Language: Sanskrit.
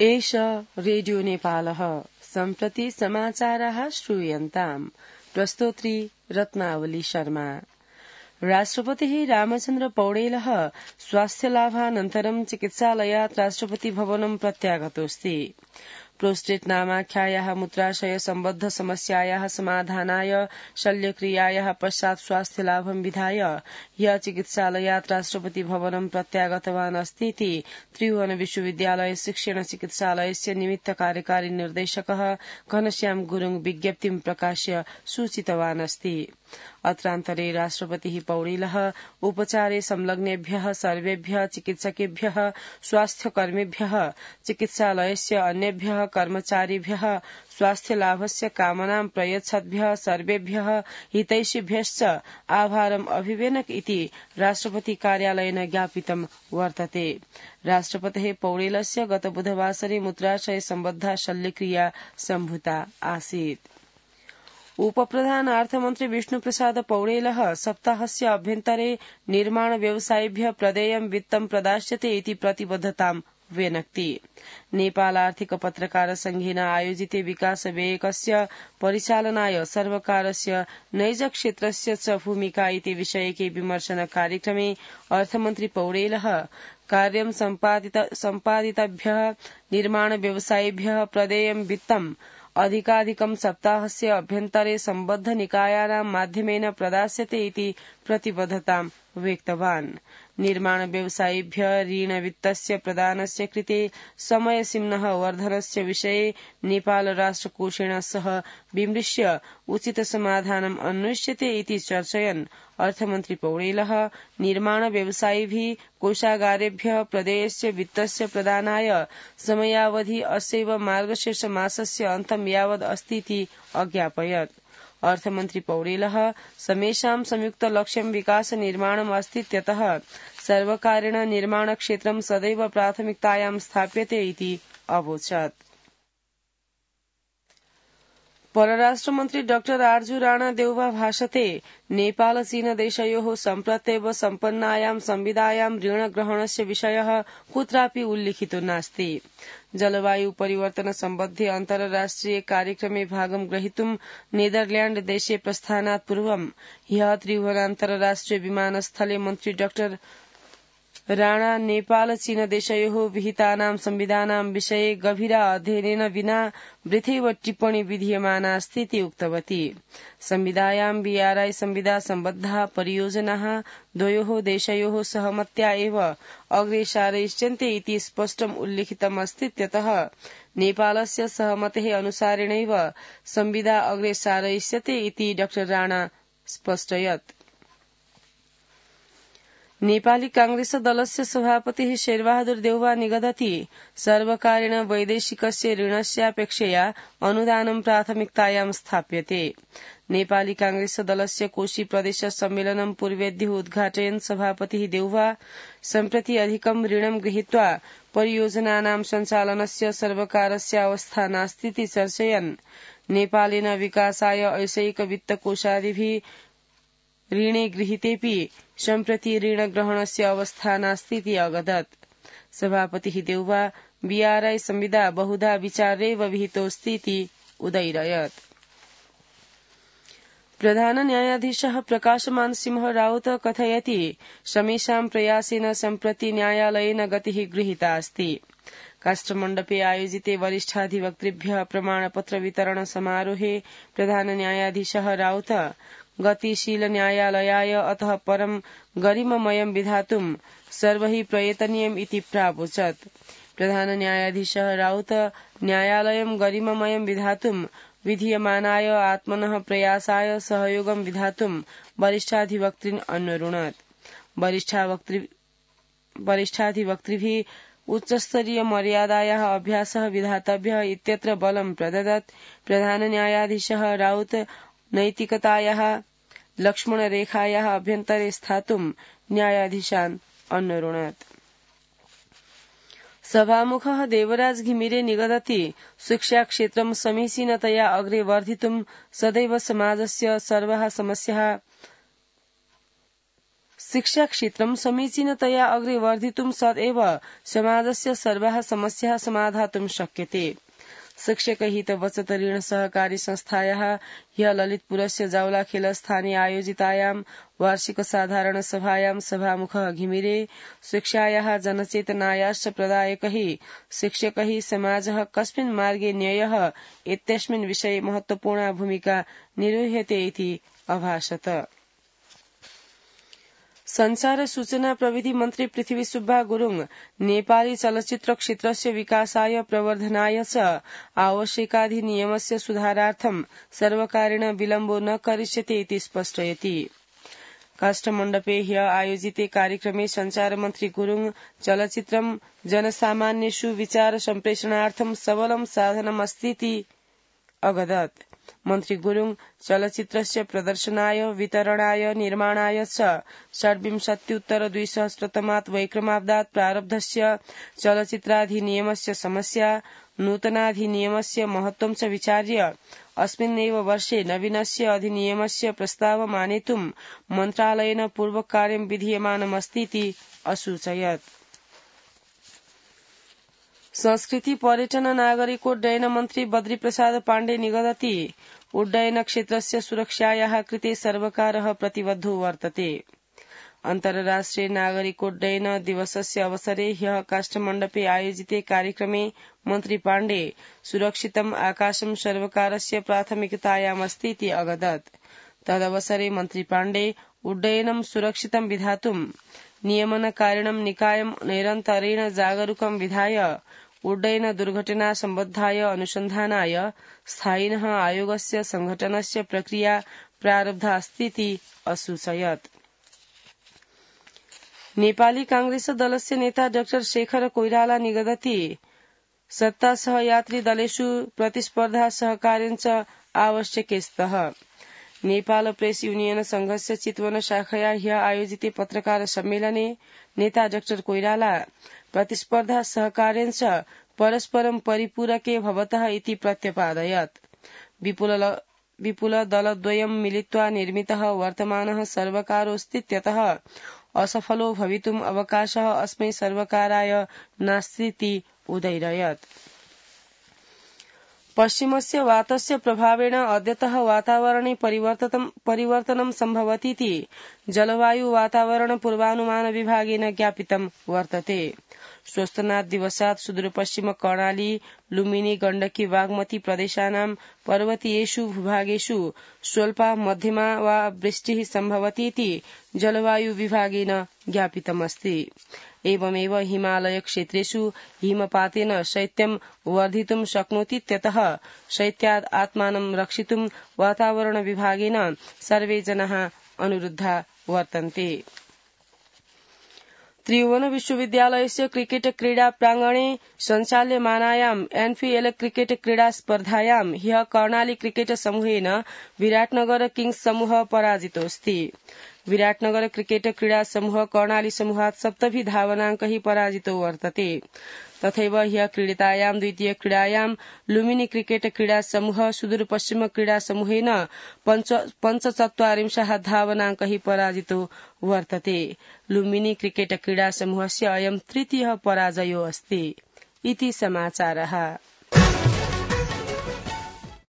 एष रेडियो नेपालः सम्प्रति समाचाराः श्रूयन्ताम्। प्रस्तोत्री रत्नावली शर्मा। राष्ट्रपतिः रामचन्द्र पौडेलः स्वास्थ्यलाभानन्तरं चिकित्सालयात् राष्ट्रपति भवनं प्रत्यागतोऽस्ति। प्रोस्टेट नामाख्यायाः मूत्राशय सम्बद्ध समस्यायाः समाधानाय शल्यक्रियायाः पश्चात् स्वास्थ्यलाभं विधाय ह्यः चिकित्सालयात् राष्ट्रपति भवनं प्रत्यागतवान् अस्तीति त्रिभुवन विश्वविद्यालय शिक्षण चिकित्सालयस्य निमित्त कार्यकारी निर्देशकः घनश्याम गुरुङ विज्ञप्तिं प्रकाश्य सूचितवान् अस्ति। अत्रान्तरे राष्ट्रपतिः पौडेलः उपचारे संलग्नेभ्यः सर्वेभ्यः चिकित्सकेभ्यः स्वास्थ्यकर्मिभ्यः चिकित्सालयस्य अन्येभ्यः कर्मचारिभ्यः स्वास्थ्यलाभस्य कामनां प्रयच्छद्भ्यः सर्वेभ्यः हितैषिभ्यश्च आभारम् अभिवेनक इति राष्ट्रपति कार्यालयेन ज्ञापितं वर्तते। राष्ट्रपतेः पौडेलस्य गत बुधवासरे मूत्राशय सम्बद्धा शल्यक्रिया सम्भूता आसीत्। उपप्रधान अर्थमन्त्री विष्णुप्रसाद पौडेलः सप्ताहस्य अभ्यन्तरे निर्माण व्यवसायिभ्यः प्रदेयं वित्तं प्रदास्यते इति प्रतिबद्धतां व्यनक्ति। नेपाल आर्थिक पत्रकार संघेन आयोजिते विकास व्ययकस्य परिचालनाय सर्वकारस्य नैज क्षेत्रस्य च भूमिका इति विषयके विमर्शन कार्यक्रमे अर्थमन्त्री पौडेलः कार्यं सम्पादितभ्यः निर्माण व्यवसायिभ्यः प्रदेयं वित्तं अधिकाधिकं सप्ताहस्य अभ्यन्तरे सम्बद्ध निकायानां माध्यमेन प्रदास्यते इति प्रतिबद्धतां व्यक्तवान्। निर्माण व्यवसायिभ्यः ऋणवित्तस्य प्रदानस्य कृते समयसीम्नः वर्धनस्य विषये नेपाल राष्ट्रकोषेण सह विमृश्य उचित समाधानम् अन्वेष्यते इति चर्चयन् अर्थमन्त्री पौडेलः निर्माण व्यवसायिभिः कोषागारेभ्यः प्रदेयस्य वित्तस्य प्रदानाय समयावधि अस्यैव मार्गशीर्ष मासस्य अन्तं यावत् अस्तीति अज्ञापयत्। अर्थमन्त्री पौडेलः समेषां संयुक्त लक्ष्यं विकास निर्माणम् अस्तीत्यतः सर्वकारेण निर्माण क्षेत्रं सदैव प्राथमिकतायां स्थाप्यते इति अवोचत्। परराष्ट्रमन्त्री डाक्टर आर्जु राणा देउवा भाषते नेपाल चीन देशयोः सम्प्रत्येव सम्पन्नायां संविदायां ऋणग्रहणस्य विषयः कुत्रापि उल्लिखितो नास्ति। जलवायु परिवर्तन सम्बद्धे अन्तर्राष्ट्रिय कार्यक्रमे भागं ग्रहीतुं नेदरल्याण्ड देशे प्रस्थानात् पूर्वं ह्यः त्रिभुवन अन्तर्राष्ट्रिय विमानस्थले मन्त्री डाक्टर राणा नेपाल चीन देशयोः विहितानां संविधानां विषये गभीर अध्ययनेन विना वृथैव टिप्पणी विधीयमाना अस्ति इति उक्तवती। संविदायां बीआरआई संविदा सम्बद्धाः परियोजनाः द्वयोः देशयोः सहमत्या एव अग्रे सारयिष्यन्ते इति स्पष्टम् उल्लिखितम् अस्तीत्यतः नेपालस्य सहमतेः अनुसारेणैव संविदा अग्रे सारयिष्यते इति डाक्टर राणा स्पष्टयत्। नेपाली कांग्रेस दलस्य सभापतिः शेरबहादुर देउवा निगदति सर्वकारेण वैदेशिकस्य ऋणस्यापेक्षया अनुदानं प्राथमिकतायां स्थाप्यते। नेपाली कांग्रेस दलस्य कोशी प्रदेश सम्मेलनं पूर्वेद्युः उद्घाटयन् सभापतिः देउवा सम्प्रति अधिकं ऋणं गृहीत्वा परियोजनानां सञ्चालनस्य सर्वकारस्य अवस्था नास्तीति चर्चयन् नेपालेन विकासाय ऐषयिक वित्तकोषादिभिः ऋणे गृहीतेऽपि सम्प्रति ऋणग्रहणस्य अवस्था नास्तीति अवदत्। सभापतिः देउवा बीआरआई संविदा बहुधा विचार्यैव विहितोऽस्तीति उदैरयत्। प्रधान न्यायाधीशः प्रकाशमान सिंह राउत कथयति समेषां प्रयासेन सम्प्रति न्यायालयेन गतिः गृहीता अस्ति। काष्ठमण्डपे आयोजिते वरिष्ठाधिवक्तृभ्यः प्रमाणपत्र वितरण समारोहे प्रधान न्यायाधीशः राउत गतिशील न्यायालयाय अतः परं गरिममयं विधातुं सर्वैः प्रयतनीयम् इति प्रावोचत्। प्रधान न्यायाधीशः राउत न्यायालयं गरिममयं विधातुं विधीयमानाय आत्मनः प्रयासाय सहयोगं विधातुं वरिष्ठाधिवक्तृन् अन्वरुणत्। वरिष्ठाधिवक्तृभिः उच्चस्तरीय मर्यादायाः अभ्यासः विधातव्यः इत्यत्र बलं प्रददत्। प्रधान न्यायाधीशः राउत नैतिकतायाः लक्ष्मणरेखायाः अभ्यन्तरे स्थातुं न्यायाधीशान् अन्वरुणत्। सभामुखः देवराज घिमिरे निगदति शिक्षाक्षेत्रं समीचीनतया अग्रे वर्धितुं सदैव समाजस्य सर्वाः समस्याः शिक्षाक्षेत्रं समीचीनतया अग्रे वर्धितुं सदैव समाजस्य सर्वाः समस्याः समाधातुं शक्यते। शिक्षकहित बचत ऋण सहकारी संस्थायाः ह्य ललितपुरस्य जावलाखेल स्थाने आयोजितायां वार्षिक साधारण सभायां सभामुखः घिमिरे शिक्षायाः जनचेतनायाश्च प्रदायकैः शिक्षकैः समाजः कस्मिन् मार्गे न्ययः इत्यस्मिन् विषये महत्वपूर्णा भूमिका निर्वह्यते इति अभाषत। संचार सूचना प्रविधि मन्त्री पृथ्वी सुब्बा गुरुङ नेपाली चलचित्र क्षेत्रस्य विकासाय प्रवर्धनाय च आवश्यकाधिनियमस्य सुधारार्थं सर्वकारेण विलम्बो न करिष्यते इति स्पष्टयति। काष्ठमण्डपे ह्य आयोजिते कार्यक्रमे संचार मन्त्री गुरुङ चलचित्रं जनसामान्येषु विचार सम्प्रेषणार्थं सबलं साधनमस्तीति अवदत्। मन्त्री गुरुङ चलचित्रस्य प्रदर्शनाय वितरणाय निर्माणाय च २६उत्तर-२०० वैक्रमाब्दात् प्रारब्धस्य चलचित्राधिनियमस्य समस्या नूतनाधिनियमस्य महत्त्वं च विचार्य अस्मिन्नेव वर्षे नवीनस्य अधिनियमस्य प्रस्तावम् आनेतुं मन्त्रालयेन पूर्वकार्यं विधीयमानमस्तीति असूचयत्। संस्कृति पर्यटन नागरिकोड्डयन मन्त्री बद्री प्रसाद पाण्डे निगदति उड्डयन क्षेत्रस्य सुरक्षायाः कृते सर्वकारः प्रतिबद्धो वर्तते। अन्तर्राष्ट्रिय नागरिकोड्डयन दिवसस्य अवसरे ह्यः काष्ठमण्डपे आयोजिते कार्यक्रमे मन्त्री पाण्डे सुरक्षितम् आकाशं सर्वकारस्य प्राथमिकतायामस्तीति अवदत्। तदवसरे मन्त्री पाण्डे उड्डयनं सुरक्षितं विधातुं नियमनकारिणं निकायं निरन्तरेण जागरूकं विधाय उड्डयन दुर्घटना सम्बद्धाय अनुसन्धानाय स्थायिनः आयोगस्य संघटनस्य प्रक्रिया प्रारब्धा अस्तीति असूचयत्। नेपाली कांग्रेस दलस्य नेता डाक्टर शेखर कोइराला निगदति सत्ता सहयात्री दलेषु प्रतिस्पर्धा सहकार्यञ्च आवश्यके स्तः। नेपाल प्रेस युनियन संघस्य चितवन शाखया ह्य आयोजिते पत्रकार सम्मेलने नेता डाक्टर कोइराला प्रतिस्पर्धा सहकार्यञ्च परस्परं परिपूरके भवतः इति प्रत्यपादयत्। विपुल दलद्वयं मिलित्वा निर्मितः वर्तमानः सर्वकारोऽस्तीत्यतः असफलो भवितुम् अवकाशः अस्मै सर्वकाराय नास्तीति उदैरयत्। पश्चिमस्य वातस्य प्रभावेण अद्यतः वातावरणे परिवर्तनं सम्भवतीति जलवायु वातावरण पूर्वानुमान विभागेन ज्ञापितं वर्तते। स्वस्तनात् दिवसात् सुदूरपश्चिम कर्णाली लुम्बिनी गण्डकी बागमती प्रदेशानां पर्वतीयेषु भूभागेषु स्वल्पा मध्यमा वा वृष्टिः सम्भवतीति जलवायु विभागेन ज्ञापितमस्ति। एवमेव हिमालय क्षेत्रेषु हिमपातेन शैत्यं वर्धितुं शक्नोतीत्यतः शैत्यात् आत्मानं रक्षितुं वातावरण विभागेन सर्वे जनाः अनुरुद्धा वर्तन्ते। त्रिभुवन विश्वविद्यालयस्य क्रिकेट क्रीडा प्रांगणे सञ्चाल्यमानायाम् एनपीएल क्रिकेट क्रीडा स्पर्धायां ह्यः कर्णाली क्रिकेट समूहेन विराटनगर किंग्स समूह पराजितोऽस्ति। विराटनगर क्रिकेट क्रीडा समूह कर्णाली समूहात् 7 धावनाङ्कैः पराजितो वर्तते। तथैव ह्यः क्रीडितायां द्वितीय क्रीडायां लुम्बिनी क्रिकेट क्रीडा समूह सुदूरपश्चिम क्रीडा समूहेन 45 धावनाङ्कैः पराजितो वर्तते। लुम्बिनी क्रिकेट क्रीडा समूहस्य अयं तृतीयः पराजयो अस्ति। इति समाचारः।